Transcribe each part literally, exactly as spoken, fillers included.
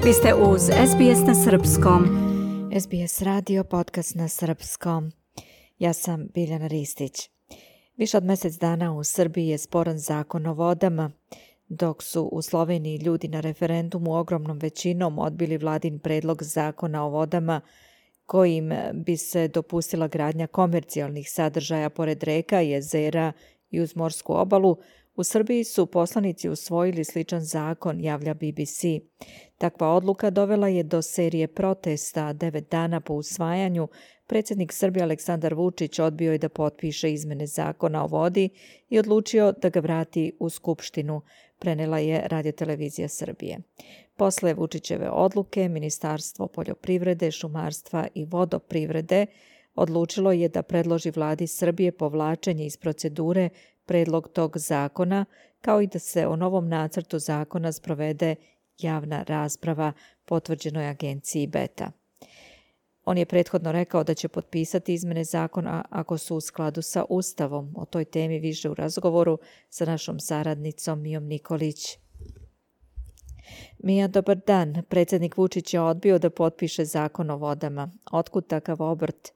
Vi ste uz S B S na srpskom. S B S radio, podcast na srpskom. Ja sam Biljana Ristić. Više od mjesec dana u Srbiji je sporan zakon o vodama, dok su u Sloveniji ljudi na referendumu ogromnom većinom odbili vladin predlog zakona o vodama kojim bi se dopustila gradnja komercijalnih sadržaja pored reka, jezera i uz morsku obalu. U Srbiji su poslanici usvojili sličan zakon, javlja B B C. Takva odluka dovela je do serije protesta. Devet dana po usvajanju predsjednik Srbije Aleksandar Vučić odbio je da potpiše izmene zakona o vodi i odlučio da ga vrati u Skupštinu, prenela je Radiotelevizija Srbije. Posle Vučićeve odluke, Ministarstvo poljoprivrede, šumarstva i vodoprivrede odlučilo je da predloži vladi Srbije povlačenje iz procedure predlog tog zakona, kao i da se o novom nacrtu zakona sprovede javna rasprava, potvrđenoj agenciji Beta. On je prethodno rekao da će potpisati izmene zakona ako su u skladu sa Ustavom. O toj temi više u razgovoru sa našom saradnicom Mijom Nikolić. Mija, dobar dan. Predsjednik Vučić je odbio da potpiše zakon o vodama. Otkud takav obrt?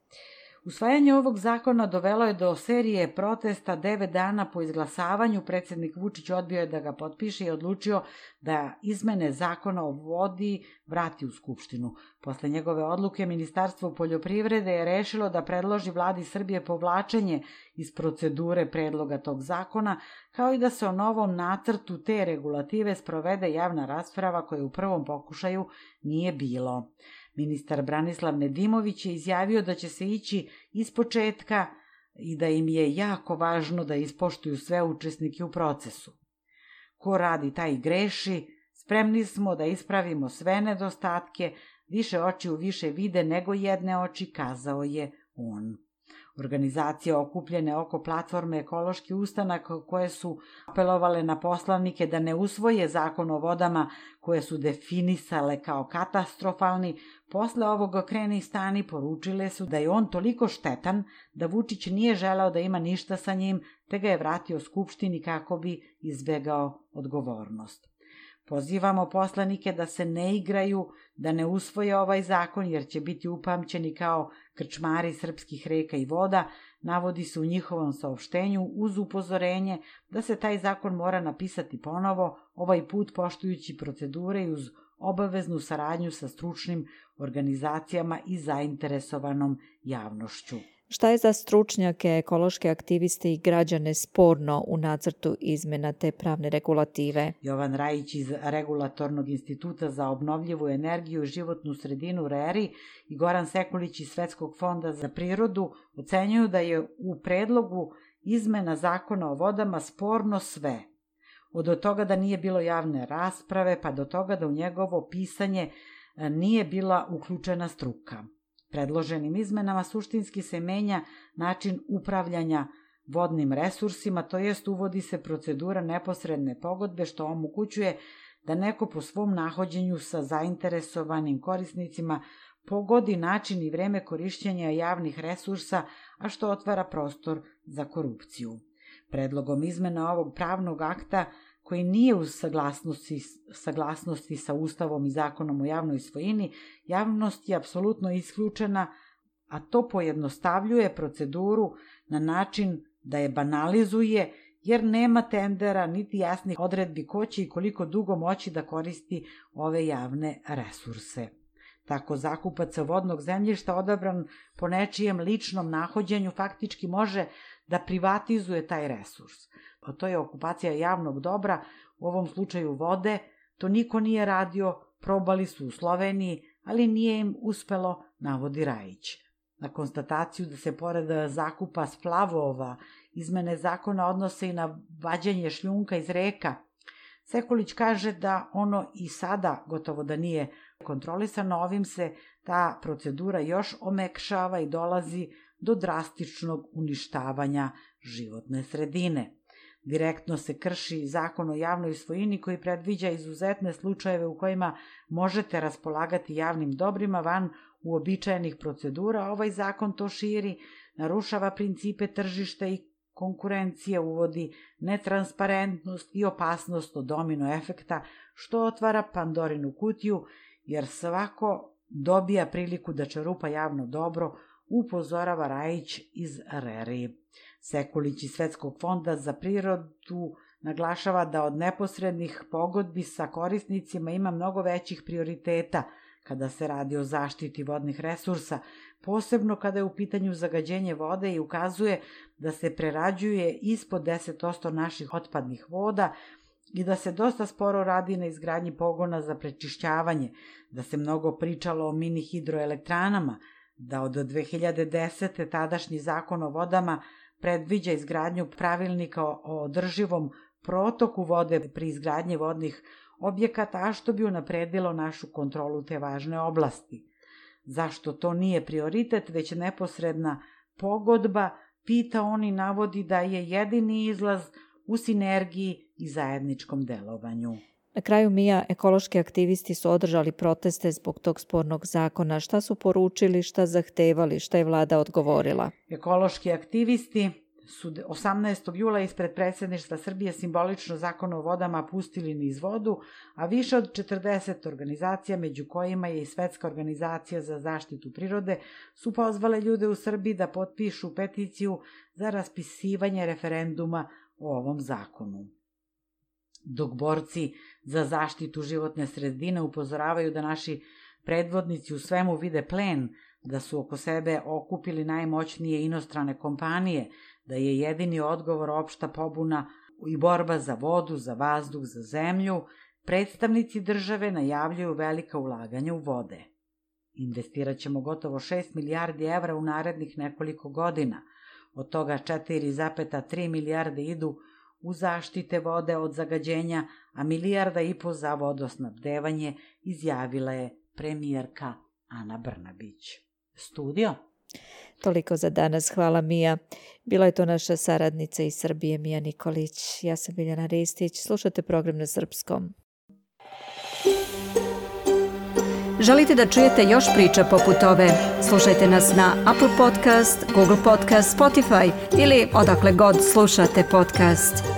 Usvajanje ovog zakona dovelo je do serije protesta. Devet dana po izglasavanju predsjednik Vučić odbio je da ga potpiše i odlučio da izmene zakona o vodi vrati u Skupštinu. Posle njegove odluke, Ministarstvo poljoprivrede je rešilo da predloži vladi Srbije povlačenje iz procedure predloga tog zakona, kao i da se o novom nacrtu te regulative sprovede javna rasprava koja u prvom pokušaju nije bilo. Ministar Branislav Nedimović je izjavio da će se ići ispočetka i da im je jako važno da ispoštuju sve učesnike u procesu. Ko radi, taj i greši, spremni smo da ispravimo sve nedostatke, više očiju više vide nego jedne oči, kazao je on. Organizacije okupljene oko platforme Ekološki ustanak koje su apelovale na poslanike da ne usvoje zakon o vodama koje su definisale kao katastrofalni, posle ovog kreni stani poručile su da je on toliko štetan da Vučić nije želeo da ima ništa sa njim, te ga je vratio Skupštini kako bi izbegao odgovornost. Pozivamo poslanike da se ne igraju, da ne usvoje ovaj zakon jer će biti upamćeni kao krčmari srpskih reka i voda, navodi se u njihovom saopštenju uz upozorenje da se taj zakon mora napisati ponovo, ovaj put poštujući procedure i uz obaveznu saradnju sa stručnim organizacijama i zainteresovanom javnošću. Šta je za stručnjake, ekološke aktiviste i građane sporno u nacrtu izmena te pravne regulative? Jovan Rajić iz Regulatornog instituta za obnovljivu energiju i životnu sredinu R E R I i Goran Sekulić iz Svetskog fonda za prirodu ocenjuju da je u predlogu izmena zakona o vodama sporno sve. Od toga da nije bilo javne rasprave pa do toga da u njegovo pisanje nije bila uključena struka. Predloženim izmenama suštinski se menja način upravljanja vodnim resursima, to jest uvodi se procedura neposredne pogodbe što omogućuje da neko po svom nahođenju sa zainteresovanim korisnicima pogodi način i vreme korišćenja javnih resursa, a što otvara prostor za korupciju. Predlogom izmena ovog pravnog akta koji nije u saglasnosti, saglasnosti sa Ustavom i Zakonom o javnoj svojini, javnost je apsolutno isključena, a to pojednostavljuje proceduru na način da je banalizuje, jer nema tendera niti jasnih odredbi ko će i koliko dugo moći da koristi ove javne resurse. Tako zakupac vodnog zemljišta odabran po nečijem ličnom nahođenju faktički može da privatizuje taj resurs. A to je okupacija javnog dobra, u ovom slučaju vode, to niko nije radio, probali su u Sloveniji, ali nije im uspelo, navodi Rajić. Na konstataciju da se pored zakupa splavova izmene zakona odnose i na vađenje šljunka iz reka, Sekulić kaže da ono i sada gotovo da nije kontrolisano, ovim se ta procedura još omekšava i dolazi do drastičnog uništavanja životne sredine. Direktno se krši zakon o javnoj svojini koji predviđa izuzetne slučajeve u kojima možete raspolagati javnim dobrima van uobičajenih procedura, a ovaj zakon to širi, narušava principe tržišta i konkurencije, uvodi netransparentnost i opasnost od domino efekta, što otvara Pandorinu kutiju jer svako dobija priliku da čerupa javno dobro, upozorava Rajić iz Reri. Sekulić iz Svetskog fonda za prirodu naglašava da od neposrednih pogodbi sa korisnicima ima mnogo većih prioriteta kada se radi o zaštiti vodnih resursa, posebno kada je u pitanju zagađenje vode i ukazuje da se prerađuje ispod deset posto naših otpadnih voda i da se dosta sporo radi na izgradnji pogona za prečišćavanje, da se mnogo pričalo o mini hidroelektranama, da od dve hiljade desete. tadašnji zakon o vodama predviđa izgradnju pravilnika o održivom protoku vode pri izgradnji vodnih objekata, a što bi unapredilo našu kontrolu te važne oblasti. Zašto to nije prioritet, već neposredna pogodba, pita on i navodi da je jedini izlaz u sinergiji i zajedničkom delovanju. Na kraju, Mija, ekološki aktivisti su održali proteste zbog tog spornog zakona. Šta su poručili, šta zahtevali, šta je vlada odgovorila? Ekološki aktivisti su osamnaestog jula ispred predsjedništva Srbije simbolično zakon o vodama pustili niz vodu, a više od četrdeset organizacija, među kojima je i Svetska organizacija za zaštitu prirode, su pozvale ljude u Srbiji da potpišu peticiju za raspisivanje referenduma o ovom zakonu. Dok borci za zaštitu životne sredine upozoravaju da naši predvodnici u svemu vide plen, da su oko sebe okupili najmoćnije inostrane kompanije, da je jedini odgovor opšta pobuna i borba za vodu, za vazduh, za zemlju, predstavnici države najavljuju velika ulaganja u vode. Investirat ćemo gotovo šest milijardi evra u narednih nekoliko godina, od toga četiri zarez tri milijarde idu u zaštite vode od zagađenja, a milijarda i po za vodosnabdevanje, izjavila je premijerka Ana Brnabić. Studio? Toliko za danas. Hvala, Mija. Bila je to naša saradnica iz Srbije, Mija Nikolić. Ja sam Biljana Ristić. Slušate program na srpskom. Želite da čujete još priča poput ove? Slušajte nas na Apple Podcast, Google Podcast, Spotify ili odakle god slušate podcast.